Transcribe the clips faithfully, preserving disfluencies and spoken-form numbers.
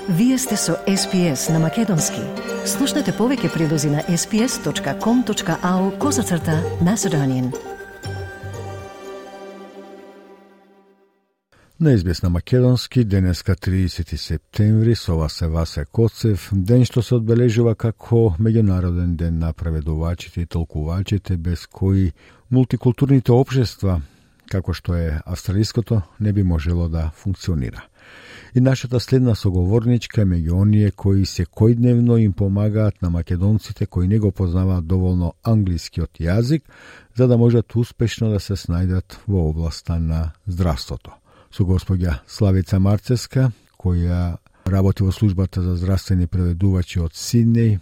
Вие сте со Ес Би Ес на Македонски. Слушнете повеќе прилози на ес би ес точка ком точка ау козацрта Macedonian. На Ес Би Ес на Македонски, денеска тридесети септември, со вас е Васе Коцев, ден што се одбележува како меѓународен ден на преведувачите и толкувачите, без кои мултикултурните општества, како што е австралиското, не би можело да функционира. И нашата следна соговорничка е меѓу оние кои секојдневно им помагаат на македонците кои не го познаваат доволно англискиот јазик, за да можат успешно да се снајдат во областа на здравството. Со госпоѓа Славица Марцевска, која работи во службата за здравствени преведувачи од Сиднеј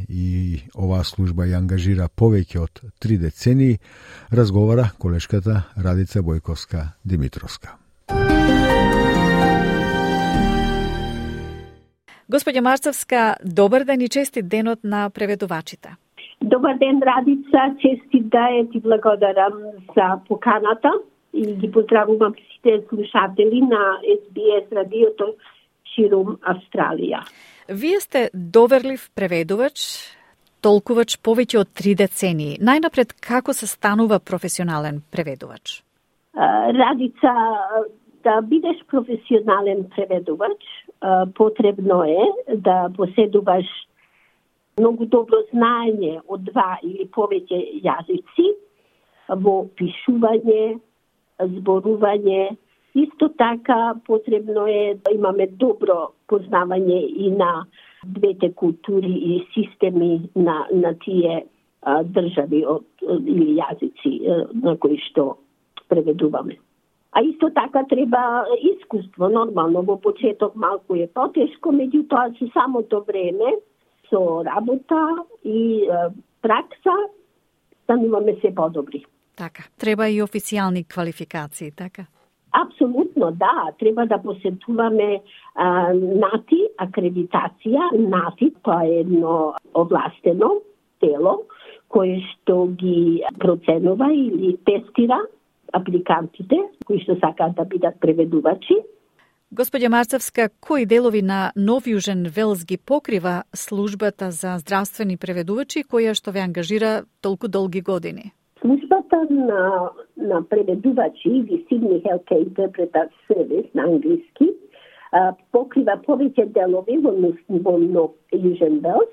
и оваа служба ја ангажира повеќе од три децении, разговара колешката Радица Бојковска-Димитровска. Господја Марцевска, добар ден и честит денот на преведувачите. Добар ден, Радица, честит да е, ти благодарам за поканата и ги поздравувам сите слушатели на Ес Би Ес радиото ширум Австралија. Вие сте доверлив преведувач, толкувач повеќе од три децении. Најнапред, како се станува професионален преведувач? Радица, да бидеш професионален преведувач, потребно е да поседуваш многу добро знаење од два или повеќе јазици во пишување, зборување. Исто така потребно е да имаме добро познавање и на двете култури и системи на, на тие а, држави од, или јазици а, на кои што преведуваме. А исто така треба искуство, нормално, во почеток малку е потешко, меѓутоа со самото време, со работа и е, пракса, стануваме се подобри. Така, треба и официјални квалификации, така? Апсолутно, да. Треба да посетуваме а, НАТИ, акредитација. НАТИ, тоа е едно овластено тело, кое што ги проценува или тестира апликантите кои што сакаат да бидат преведувачи. Господја Марцевска, кои делови на Нов Јужен Велс ги покрива службата за здравствени преведувачи која што ве ангажира толку долги години? Службата на, на преведувачи или Sydney Healthcare Interpreter Service на англиски покрива повеќе делови во, во Нов Јужен Велс.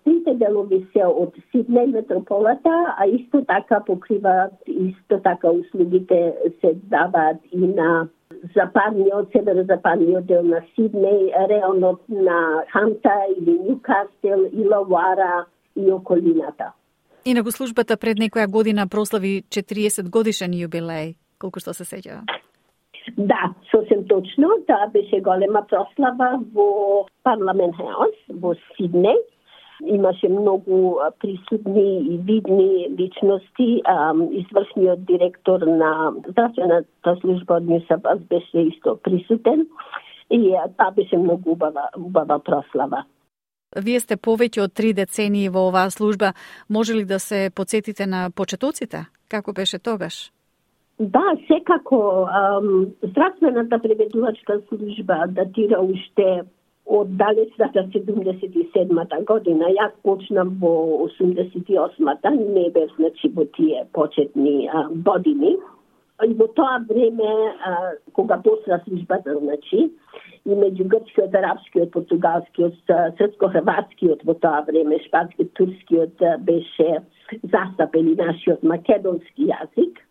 Трите делови се од Сиднеј метрополата, а исто така покриваат, исто така услугите се даваат и на западниот, северозападниот дел на Сиднеј, реонот на Ханта или Ньюкасел, Илауара и околината. Инаку службата пред некоја година прослави четириесет годишен јубилеј, колку што се сеќава. Да, сосем точно, таа беше голема прослава во Парламент Хаус во Сиднеј. Имаше многу присутни и видни личности. Извршниот директор на здравствената служба од Нью Саут Велс беше исто присутен и тоа беше многу убава, убава прослава. Вие сте повеќе од три децении во оваа служба. Може ли да се потсетите на почетоците? Како беше тогаш? Да, секако. Здравствената преведувачка служба датира уште од далечната седумдесет и седмата година. Јас почнав во осумдесет и осмата, не бев, значи, во тие почетни а, години. И во тоа време, а, кога посла службата, значи, и меѓу грчкиот, арапскиот, португалскиот, српско-хрватскиот во тоа време, шпанскиот, турскиот беше застапен и нашиот македонски јазик.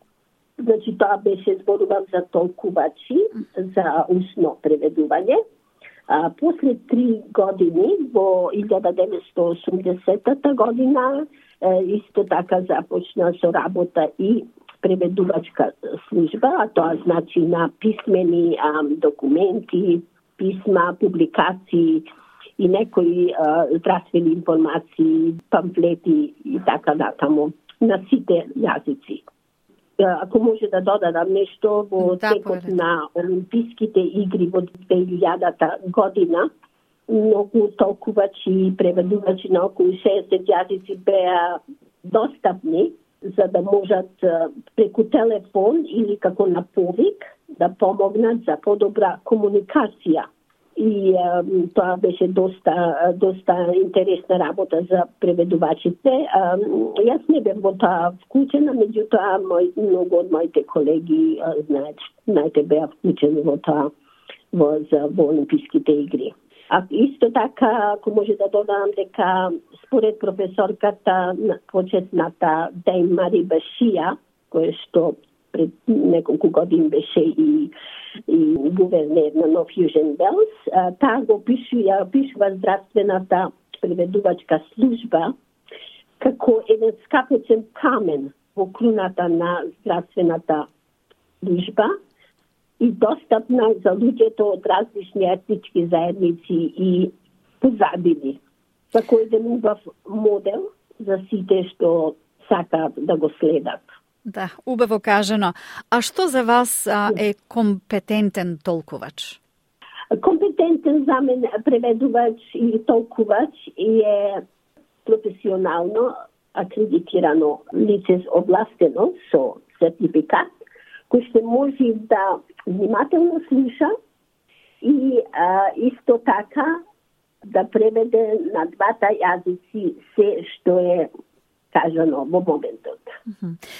Значи, тоа беше зборувам за толкувачи, за усно преведување. А, после три години, во илјада деветстотини и осумдесетата година, е, исто така започна со работа и преведувачка служба, а тоа значи на писмени а, документи, писма, публикации и некои а, здравствени информации, памфлети и така натаму на сите јазици. Ако може да додадам нешто, во да, текот на Олимписките игри во две илјадата година, многу толкувачи и преведувачи на околу шеесет јазици беа достапни за да можат преку телефон или како на повик да помогнат за подобра комуникација и а, тоа беше доста доста интересна работа за преведувачите. А, јас не бев во тоа вклучена, меѓутоа мој, многу од моите колеги знаат, знаете, беа вклучени во тоа во, за, во Олимписките игри. А исто така, ако може да додадам дека според професорката почетната Дейм Мари Башија, која што пред неколку години беше и, и гувернер на Нов Јужен Велс, таа го пишува, пишува здравствената преведувачка служба како еден скапоцен камен во круната на здравствената служба и достапна за луѓето од различни етнички заедници и позадини. Како еден убав модел за сите што сакаат да го следат. Да, убаво кажано. А што за вас а, е компетентен толкувач? Компетентен за мен преведувач и толкувач е професионално акредитирано лице овластено со сертификат, кој што може да внимателно слуша и а, исто така да преведе на двата јазици се што е кажано во моментот.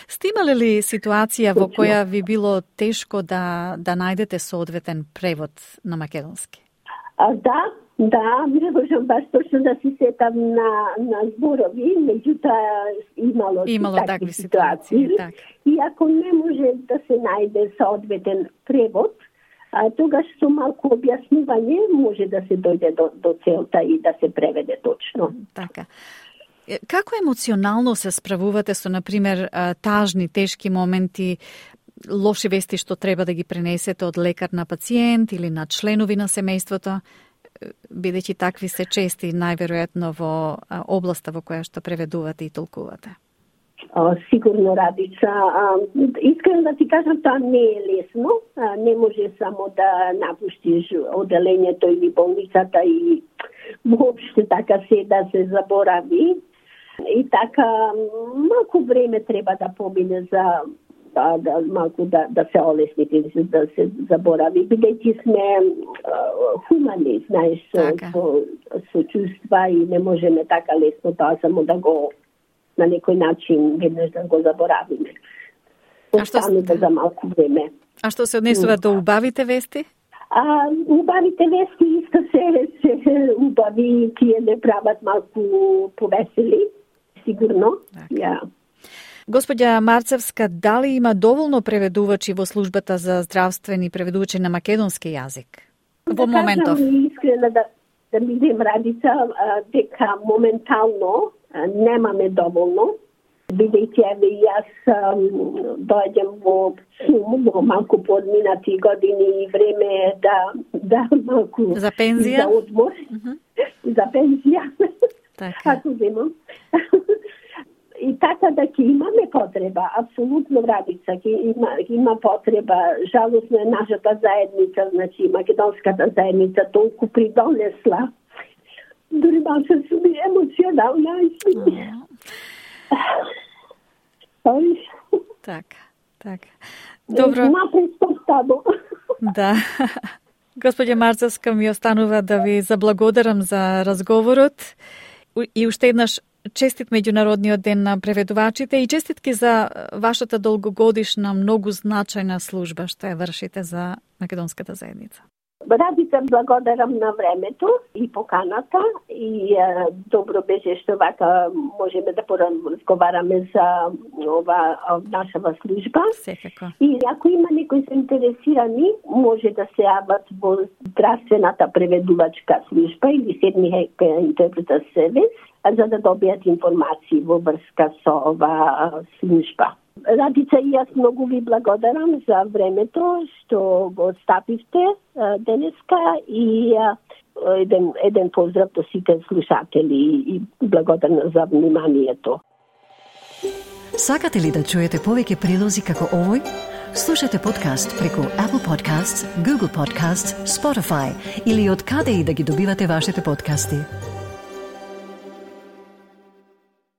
Сте имале ли ситуација во која ви било тешко да да најдете соодветен превод на македонски? А, да, да, не можам баш точно да се сетам на на зборови, меѓутоа имало, имало такви, такви ситуации. ситуации так. И ако не може да се најде соодветен превод, а, тогаш со малку објаснување може да се дојде до, до целта и да се преведе точно. Така. Како емоционално се справувате со, например, тажни, тешки моменти, лоши вести што треба да ги пренесете од лекар на пациент или на членови на семејството, бидејќи такви се чести најверојатно во областа во која што преведувате и толкувате? О, сигурно, Радица. А, искрено да ти кажам, тоа не е лесно. А, не може само да напуштиш оделењето или болницата и воопште така се да се заборави. И така, малку време треба да помине за да, да малку да, да се олесните, да се заборави, бидејќи сме а, хумани, знаеш, со, со, со чувства и не можеме така лесно тоа само да го на некој начин веднаш да го заборавиме. Останува да... за малку време. А што се однесува до убавите вести? А, убавите вести исто се, се убави, тие не прават малку повесели, сигурно. Ja. Господја Марцевска, дали има доволно преведувачи во службата за здравствени преведувачи на македонски јазик? Во да моментов. Кажам искрено да, да бидем, Радица, дека моментално немаме доволно, бидејќи еве јас доаѓам во сум, во малку подминати години и време да да малку за пензија, за одмор, uh-huh. за пензија. Така. Ако земам. И така да ќе имаме потреба, апсолутно, Радица, ќе има, има потреба. Жалосно е нашата заедница, значи македонската заедница толку придонесла. Дори малце сум и емоционална. Така, така. Добро. Напред тамо. Да. Господја Марцевска, ми останува да ви заблагодарам за разговорот и уште еднаш честит меѓународниот ден на преведувачите и честитки за вашата долгогодишна, многу значајна служба што ја вршите за македонската заедница. Радица, благодарам на времето и поканата и е, добро беше што вака можеме да поразговараме за ова нашава служба. Секако. И ако има некои заинтересирани, може да се јават во здравствената преведувачка служба или Седни Интерпретер Сервис, за да добијат информации во врска со ова служба. Радица, и јас многу ви благодарам за времето што го стапивте денеска и еден, еден поздрав до сите слушатели и благодарна за вниманието. Сакате ли да чуете повеќе прилози како овој? Слушате подкаст преку Apple Podcasts, Google Podcasts, Spotify или од каде и да ги добивате вашите подкасти.